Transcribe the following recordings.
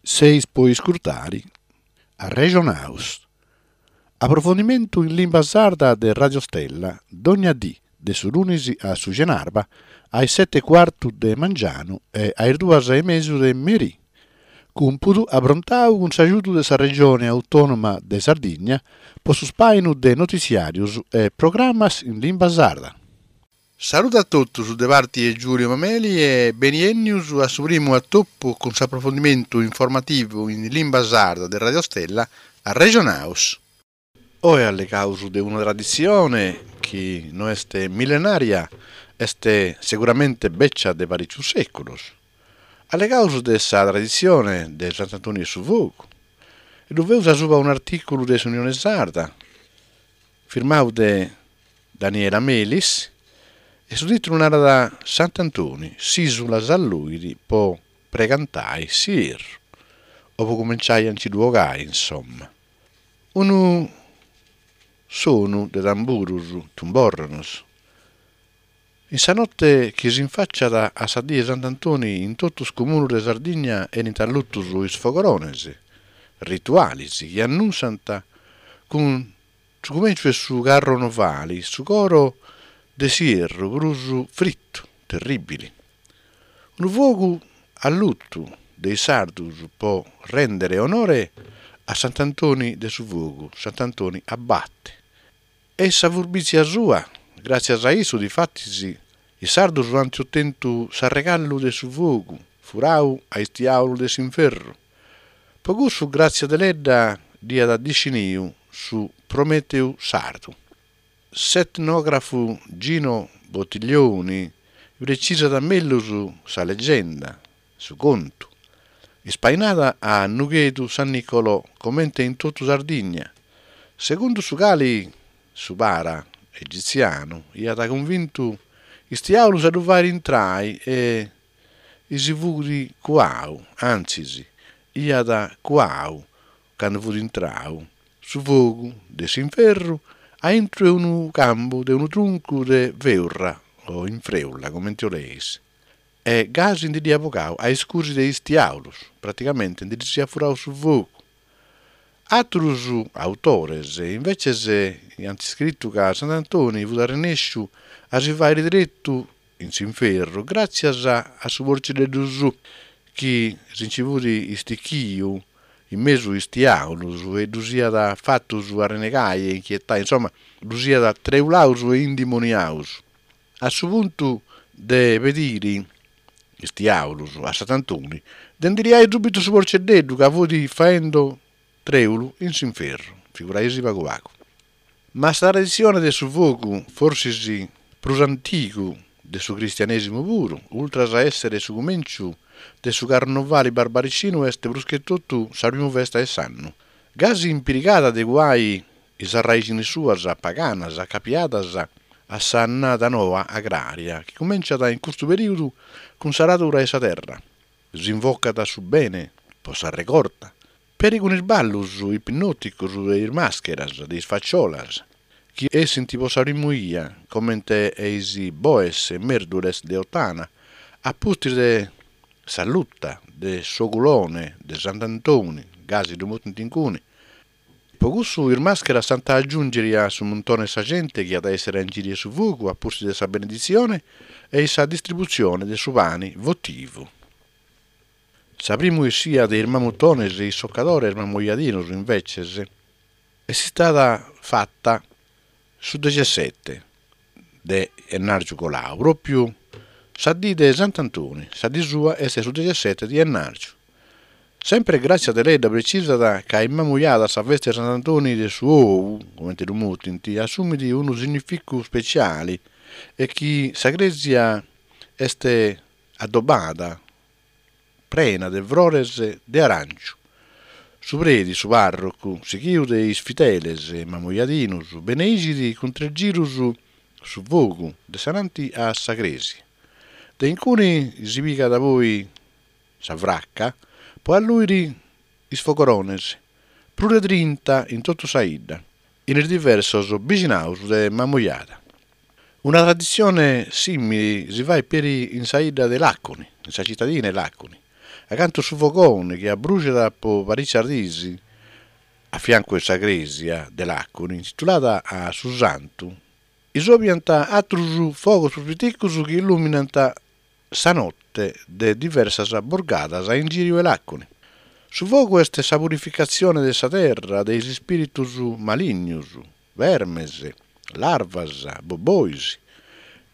Seis po iscurtari Arrexonaus. Aprofondimentu in limba sarda de Radio Stella, dogna dì, de su lunis a su cenarba, a is seti e cuartu de mangianu e a is duas e mesu de merì. Cumpudu aprontau cun s'agiudu de sa Regione Autònoma de Sardigna po su spàinu de notitziàrius e programas in limba sarda. Saludu a totus de parti 'e Giulio Mameli e beniennius a su primu atopu cun s'aprofondimentu informativu in limba sarda de Radio Stella Arrexonaus. Oe allegaus de una traditzione chi no est millenaria, est seguramente beccia de paricius seculos. Allegaus de sa traditzione de Sant'Antoni 'e su Fogu e ddu feus asuba un'articulu de s'Unione Sarda, firmau de Daniela Melis, e su tìtulu narat Sant'Antoni, s'ìsula s'alluit po pregantai s'ierru, o po cumenciai a nci ddu 'ogai, insomma. Unu sonu de tamburus, tumborronos. In sa note chi s'infàciat a sa die 'e Sant'Antoni in totu is comunus de Sardigna 'enint allutus is fogorones ritualis chi annunsant cun su cumenciu 'e su carronovali su coro de s'ierru prus fritu, terribili. Unu fogu allutu de is sardus po rèndere onore a Sant'Antoni de su fogu, Sant'Antoni Abate. E sa furbizia sua, gràtzias a issu difatis is sardus ant otentu s'arregallu de su fogu furau a is tiàulus de s'inferru. Po cussu Gràtzia Deledda dd'iat disciniu su Prometeu sardu. S'etnògrafu Gino Bottiglioni precisat mellus sa legenda, su contu, ispainada a Nughedu San Nicolò comente in totu Sardigna, segundu su cali su para egitzianu iat cunvintu is tiàulus a ddu fàiri intrai e si fut cuau, antzis, iat cuau candu fut intrau su fogu de s'inferru aintru 'e unu cambu de unu truncu de feurra o infreulla, comente 'oleis. E gasi ndi dd'iat bogau a iscusi de is tiàulus, praticamente ndi ddis iat furau su fogu. Àterus autores, inveces, iant scritu ca Sant'Antoni fut arrennesciu a si fàiri deretu in s'inferru gràtzias a su porcilleddu suu, chi si nci fut istichiu in mesu is tiàulus e ddus iat fatus arrenegai e inchietai, insoma, ddus iat treulaus e indimoniaus. A su puntu de pediri is tiàulus a Sant'Antoni de ndi liai subitu su porceddeddu ca fut faendo trèulu in s'inferru, figuraisi pagu pagu. Ma sa traditzione de su fogu, forsis prus antigu de su cristianèsimu puru, ultras a èssere su cumènciu de su carnovali barbaricinu est prus che totu sa primu festa 'e s'annu, gasi impirigada de cuai is arraìxinis suas paganas acapiadas a s'annada noa agrària chi cumenciat in custu perìudu cun s'aradura 'e sa terra. S'invocat su bene po sa regorta, peri cun is ballus ipnòticos de is màscheras, de is faciolas, chi essint po sa primu 'ia, comente e is boes e mèrdules de Ottana, a pustis de s'alluta de s'ogulone de Sant'Antoni, gasi ddu mutint incuni. Po cussu is màscheras s'ant a agiùngiri a su muntone 'e sa gente chi at a èssere a ingìriu 'e su fogu a pustis de sa beneditzione e sa distributzione de su pani votivu. Sa primu essia de is mamutones e is socadores mamoiadinos, inveces, est istada fata su dexessete de 'ennàrgiu colau, pròpiu sa dì de Sant'Antoni, sa dì sua est su dexessete de 'ennàrgiu. Sempre Gràtzia Deledda precisat ca in Mamujada sa festa 'e Sant'Antoni de su ou, comente ddu mutint, assumit unu significu speciali e chi sa crèsia est adobada prena de frores de arànciu. Su predi, su pàrrocu, sighiu de is fideles mamujadinus, beneixit cun tres girus su fogu de s'ananti a sa crèsia. De incuni si pigat poi sa fraca po allùiri is fogorones, prus de trinta in totu sa 'idda, in is diversos bixinaus de Mamujada. Una traditzione sìmili si fait peri in sa 'idda de Làconi, in sa citadina 'e Làconi. Acantu su fogone chi abruxat po paricias dis, a fiancu 'e sa crèsia de Làconi, intitulada a su santu, isobiant atrus fogos prus piticus chi illuminant sa note de diversas borgadas a ingìriu 'e Làconi. Su fogu est sa purificatzione de sa terra de is ispìritus malignos, vermes, larvas, bobois.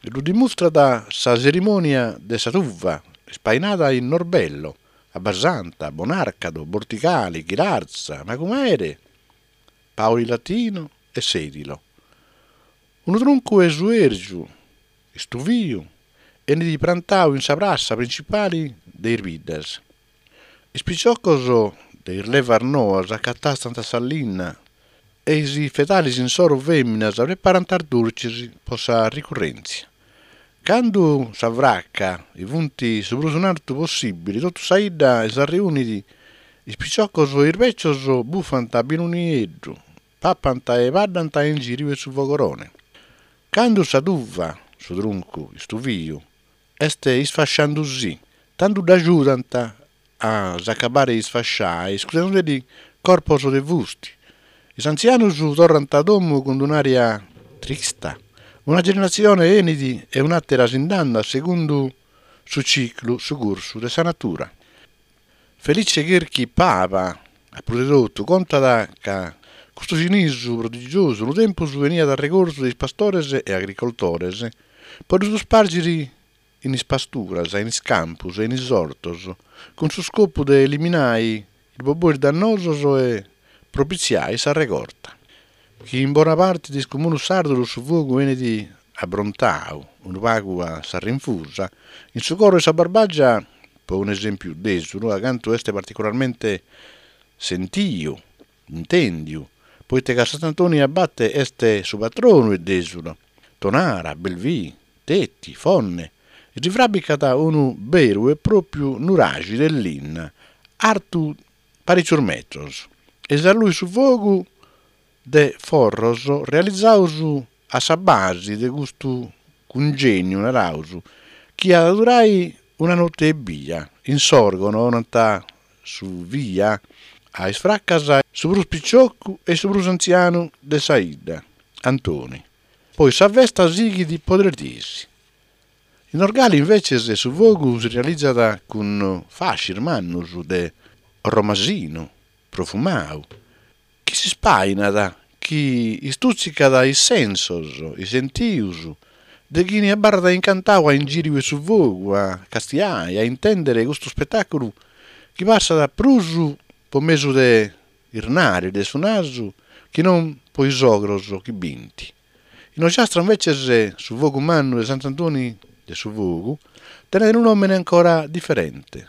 Ddu dimustrat sa tzerimònia de sa tuva ispainada in Norbello, Abbasanta, Bonàrcado, Bortigali, Ghilarza, Macumere, Paulilatino e Sèdilo. Unu truncu 'e suèrgiu istuviu 'enit prantau in sa prassa principali de is biddas. Is piciocos de is levas noas acatastant sa linna e is fedalis insoru fèminas preparant is durcis po sa ricurrèntzia. Candu sa fraca funt su prus in artu possìbili totu sa 'idda s'arreunit, is piciocos e is bècios bufant binu nieddu, papant e baddant a ingìriu 'e su fogorone. Candu sa tuva, su truncu istuviu, est isfasciandusì, tandu dd'agiudant a s'acabare 'e isfasciai iscudenduddi corpos de fusti. Is antzianus torrant a domu cun un'aria trista. Una generatzione 'enit e un'àtera si nd'andat segundu su ciclu, su cursu de sa natura. Felice Cherchi Paba, a prus de totu, contat ca custu cinisu prodigiosu unu tempus beniat arregortu de is pastores e agricoltores po ddu spargiri in is pasturas, in is campus e in is ortos, cun su scopu de eliminai is bobois dannosos e propitziai sa regorta. Chi in bona parti de is comunus sardus su fogu 'enit abrontau unu pagu a sa rinfusa, in su coro 'e sa Barbagia, po un'esempiu Dèsulu, acantu est particularmente sentiu, intendiu, poite ca Sant'Antoni Abate est su patronu 'e Dèsulu, Tonara, Belvì, Teti, Fonne, si fràbicat unu beru e pròpiu nuraxi de linna, artu parìcius metros, e s'alluit su fogu de forros realizaus a sa basi de custu cungèniu, naraus, chi at a durai una note ebbia. In Sòrgono 'onant su via a is fracas su prus piciocu e su prus antzianu de sa 'idda, Antoni. Poi sa festa sighit po tres dies. In Norgali inveces su fogu si realizat cun fascis mannus de romasinu profumau, chi si spainat, chi istùtzicat is sensos, is sentius de chini abarrat incantau a ingìriu 'e su fogu a castiai, a intèndere custu spetàculu chi passat prus po mesu de is naris de su nasu chi non po is ogros chi bint. In Ogiastra inveces su fogu mannu de Sant'Antoni de su Fogu tenet unu nòmene ancora diferente,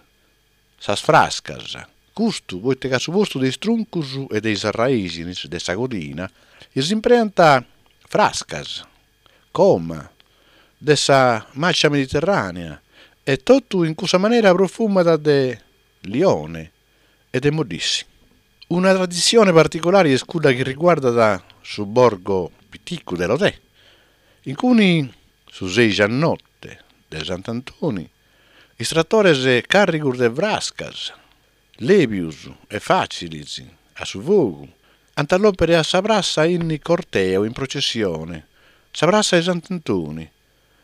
sas frascas, custu poite ca a su postu de is truncus e de is arraìxinis de sa codina s'impreant frascas, coma, de sa màcia mediterrànea e totu in cussa manera profumat de lione e de moddissi. Una traditzione particulari est cudda chi riguardat su borgo piticu de Lodè, in cui su seixi a notte de Sant'Antoni is tratores càrrigus de frascas, lèbius e fàcilis a su fogu, ant a lòmpere a sa prassa in corteo, in processione, sa prassa 'e Sant'Antoni,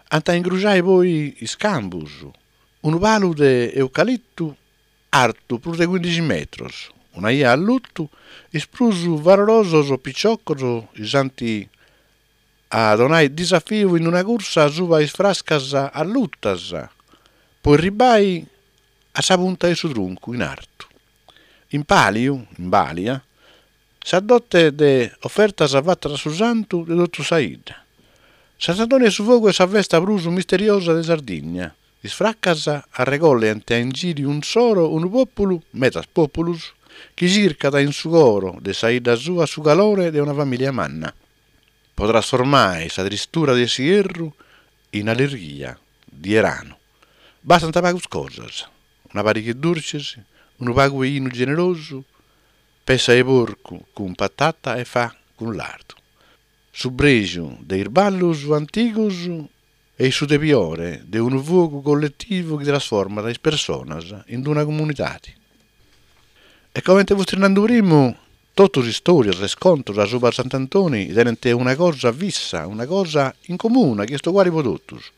ant a ingruxai poi is cambus, unu palu de eucalitu artu prus de cuindixi metros, una 'ia allutu, is prus valorosos piciocos s'ant a donai disafiu in una cursa suba is frascas allutas po erribai a sa punta 'e su truncu in artu. In pàliu, in balia, Sa dote de ofertas fatas a su santu de totu sa 'idda. Sant'Antoni 'e su Fogu est sa festa prus misteriosa de Sardigna. Is fracas arregollent a ingìriu insoro unu pòpulu, medas pòpulus, chi circat in su coro de sa 'idda sua su calore de una famìlia manna, po trasformai sa tristura de s'ierru in allirghia di 'eranu. Bastant pagus cosas, una pariga 'e durcis, unu pagu 'e 'inu generosu, Petza 'e porcu cun patata e fà cun lardu. Su prexu de is ballus antigus E su tebiore de unu fogu colletivu chi trasformat is personas in una comunidade. E comente fustis nandu primu, totus is istòrias e is contos asuba Sant'Antoni tenent una cosa fissa, una cosa in comuna chi est uguali po totus,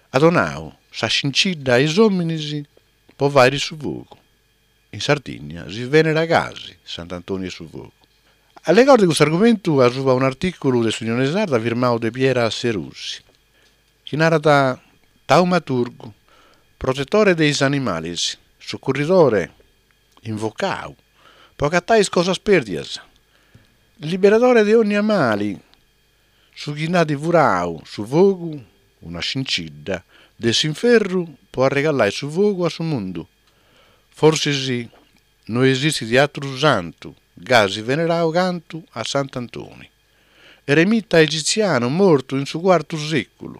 at donau sa scincidda a is òminis po fàiri su fogu. In Sardigna si venerat gasi Sant'Antoni 'e su Fogu. Allegaus de custu argumentu asuba un'artìculu de s'Unione Sarda firmau de Piera Serusi, chi narat Taumaturgu, protetore de is animalis, sucurridore invocau po agatai is cosas pèrdias, liberadore de ònnia mali, su chi nd'at furau su fogu, una scincidda, de s'inferru po arregallai su fogu a su mundu. Forsis no esistit àteru santu gasi venerau cantu a Sant'Antoni, eremita egitzianu mortu in su cuartu sèculu,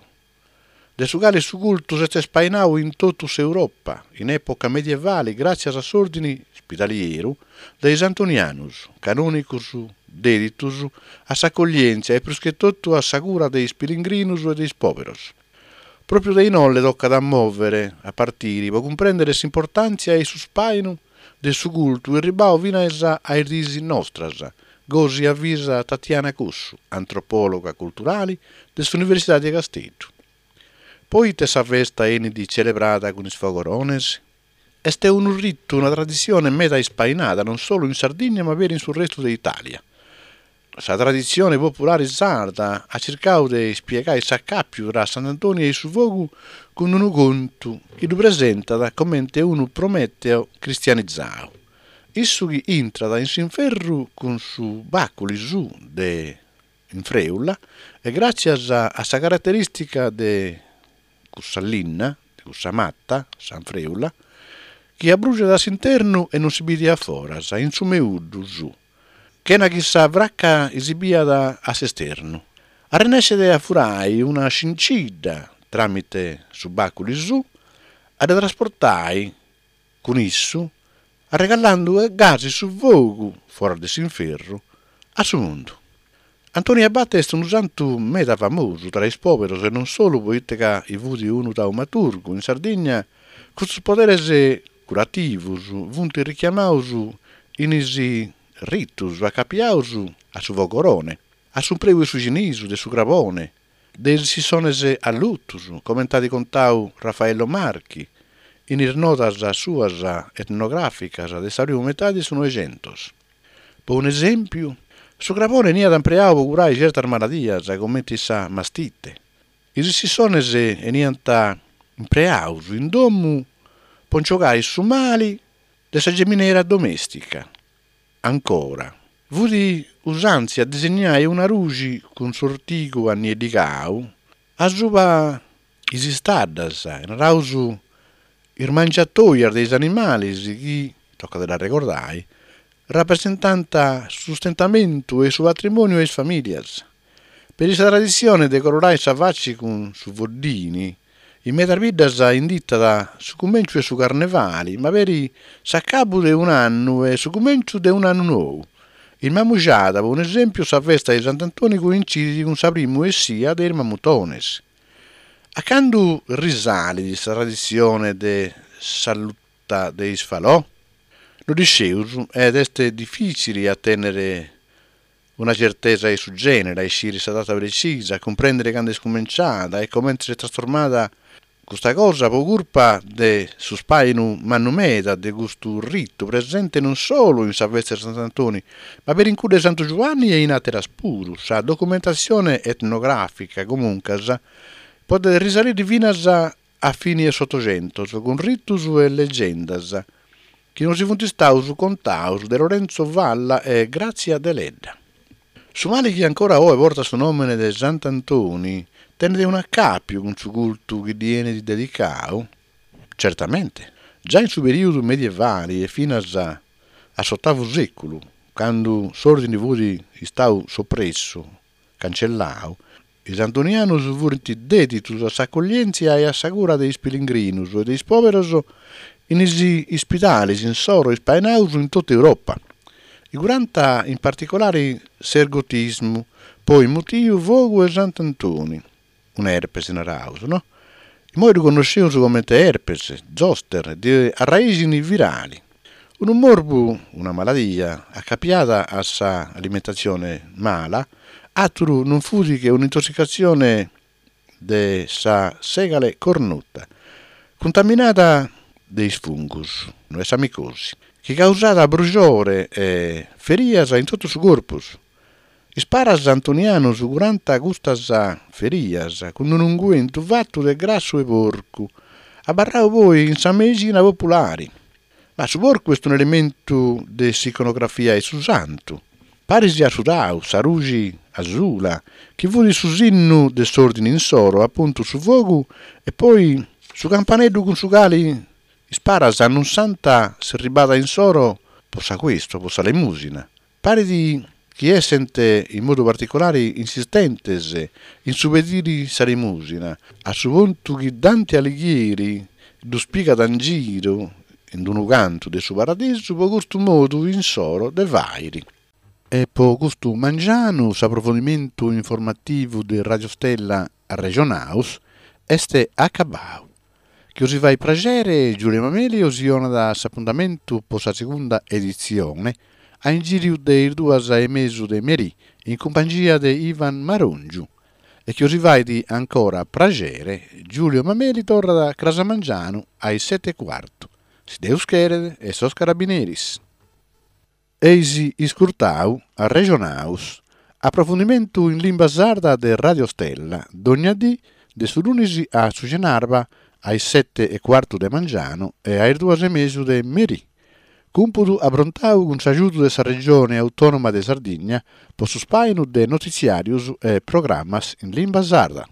de su cale su cultu s'est spainau in totu s'Europa in època medievali gràtzias a s'òrdini ispidalieru de is Antonianus, canònicus dèditus a s'acoglièntzia e prus che totu a sa cura de is pilingrinus e de is pòberos. Pròpiu de inolle tocat a mòvere, a partiri, po cumprèndere s'importàntzia e su spàinu de su cultu erribau finas a is diis nostras, gosi avisat Tatiana Cossu, antropòloga culturali de s'Universidadi de Casteddu. Poite sa festa 'enit celebrada cun is fogorones? Est unu ritu, una traditzione meda ispainada non solu in Sardigna ma peri in su restu de Itàlia. Sa traditzione populare sarda at circau de ispiegai s'acàpiu tra Sant'Antoni e su fogu cun unu contu chi ddu presentat comente unu Prometeo cristianizau, issu chi intrat in s'inferru cun su bàculi suu de infrèula e gràtzias a sa caraterìstica de cussa linna, de cussa mata, s'anfrèula, chi abruxat a s'internu e non si bidet a foras, in su meuddu suu. Chena chi sa fraca si biat a s'esternu. Arrennescet a furai una scincidda tramite su bàculi suu, a dda trasportai cun issu, arregallandu gasi su fogu, foras de s'inferru, a su mundu. Antoni Abate est unu santu meda famosu tra is pòberos e non solu poite ca i fut unu taumaturgu, in Sardigna custus poderes curativus funt richiamaus in is ritus acapiaus a su fogorone, a s'umpreu 'e su cinisu, de su crabone, de is sisones allutus, comente at contau Raffaello Marchi in is notas suas etnogràficas de sa primu metadi de su Noixentos. Po un'esèmpiu, su crabone 'eniat impreau po curai certas maladias, comenti sa mastite. Is sisones 'eniant impreaus in domu po nci 'ogai su mali de sa geminera domèstica. Ancora, fut usàntzia disignai una ruxi cun s'ortigu annieddigau asuba is istaddas, naraus is mangiatoias de is animalis chi, tocat de dd'arregordai, rapresentant su sustentamentu e su patrimoniu 'e is famìlias. Peri sa traditzione de colorai sa faci cun su foddini, in medas biddas inditat su cumenciu 'e su carnevali, ma peri s'acabu de un'annu e su cumenciu de un'annu nou. In Mamujada, po un'esempiu, sa festa 'e Sant'Antoni coincidit cun sa primu essia de is mamutones. A candu risalit sa traditzione de s'alluta de is falò? No dd'isceus ed est dificili a tènnere una certesa 'e su gènere, a isciri sa data precisa, a cumprèndere cando est cumenciada e comente s'est trasformada custa cosa po curpa de su spàinu mannu meda de custu ritu presente non solu in sa festa de Sant'Antoni, ma peri in cudda 'e Santu Giuanni e in àteras puru. Sa documentatzione etnogràfica, comuncas, podet risalire finas a fini 'e s'Otoxentos, cun ritus e legendas chi nos funt istaus contaus de Lorenzo Valla e Grazia Deledda. Su mali chi ancora oe portat su nòmene de Sant'Antoni tenet un'acàpiu cun su cultu chi ddi 'enit dedicau? Certamente. Già in su perìodu medievali e finas a s'otavu sèculu, candu s'òrdini fut istau sopressu, cancellau, Is antonianus furint dèditus a s'acoglièntzia e a sa cura de is pilingrinus e de is pòberos in is ispidalis insoro ispainaus in totu Europa. I curant in particolari s'ergotismu, poi mutiu fogu 'e Sant'Antoni. Un'erpes naraus, no? Immoi ddu connosceus comente erpes, zoster, de arraixini virali. Unu morbu, una maladia, acapiada a sa alimentatzione mala, àteru non fut che un'intossicatzione de sa segale cornuta, cuntaminada de is fungus e sa micosi, chi causat brujore e ferias in totu su corpus. Is paras antonianus curant custas ferias cun unu unguentu fatu de grassu 'e porcu, abarrau poi in sa meixina populari. Ma su porcu est un'elementu de s'iconografia 'e su santu, paris a su tau, sa ruxi asula, chi fut su sinnu de s'òrdini insoro, apuntu su fogu e poi su campaneddu cun su cali is paras annunsant s'erribada insoro po s'acuestu, po sa lemùsina. Parit chi essent in modu particulari insistentes in su pediri sa limùsina, a su puntu chi Dante Alighieri ddus pigat in giru in unu cantu de su Paradisu po custu modu insoro de fàiri. E po custu mangianu s'aprofondimentu informativu de Radio Stella Arrexonaus est acabau. Chi 'osi fait praxere, Giulio Mameli 'osi 'onat s'apuntamentu po sa segunda editzione, a ingìriu de is duas e mesu de merì, in cumpangia de Ivan Marongiu. E chi 'osi fait ancora praxere, Giulio Mameli torrat cras a mangianu a is sete e cuartu, si Deus cheret e sos carabineris. Eis iscurtau Arrexonaus, aprofundimentu in limba sarda de Radio Stella, dogna dì de su lunis a su cenarba a is sete e cuartu de mangianu e a is duas e mesu de merì. Cumpudu aprontau cun s'agiudu de sa Regione Autònoma de Sardigna po su spàinu de notitziàrius e programas in limba sarda.